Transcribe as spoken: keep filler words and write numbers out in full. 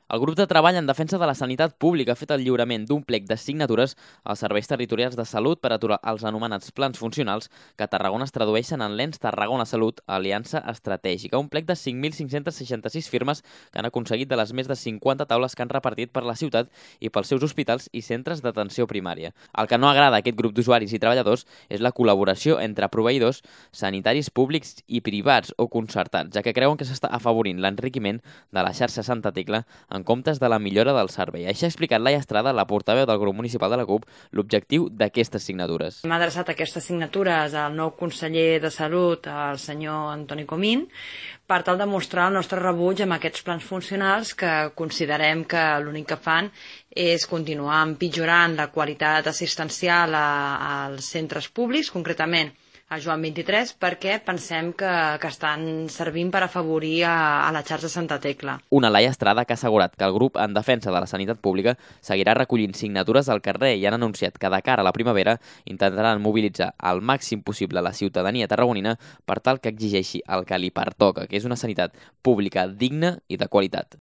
El grup de treball en defensa de la sanitat pública ha fet el lliurament d'un plec de signatures als serveis territorials de salut per aturar els anomenats plans funcionals que a Tarragona es tradueixen en l'Ens Tarragona Salut, Aliança Estratègica. Un plec de cinc mil cinc-cents seixanta-sis firmes que han aconseguit de les més de cinquanta taules que han repartit per la ciutat i pels seus hospitals i centres d'atenció primària. El que no agrada a aquest grup d'usuaris i treballadors és la col·laboració entre proveïdors sanitaris públics i privats o concertats, ja que creuen que s'està afavorint l'enriquiment de la xarxa Santa Tecla en comptes de la millora del servei. Així ha explicat Laia Estrada, la portaveu del grup municipal de la CUP, l'objectiu d'aquestes signatures. Hem adreçat aquestes signatures al nou conseller de Salut, el senyor Antoni Comín, per tal de mostrar el nostre rebuig amb aquests plans funcionals que considerem que l'únic que fan és continuar empitjorant la qualitat assistencial a, als centres públics, concretament a Joan vint-i-tres, perquè pensem que, que estan servint per afavorir a, a la xarxa Santa Tecla. Una Laia Estrada que ha assegurat que el grup en defensa de la sanitat pública seguirà recollint signatures al carrer i han anunciat que de cara a la primavera intentaran mobilitzar al màxim possible la ciutadania tarragonina per tal que exigeixi el que li pertoca, que és una sanitat pública digna i de qualitat.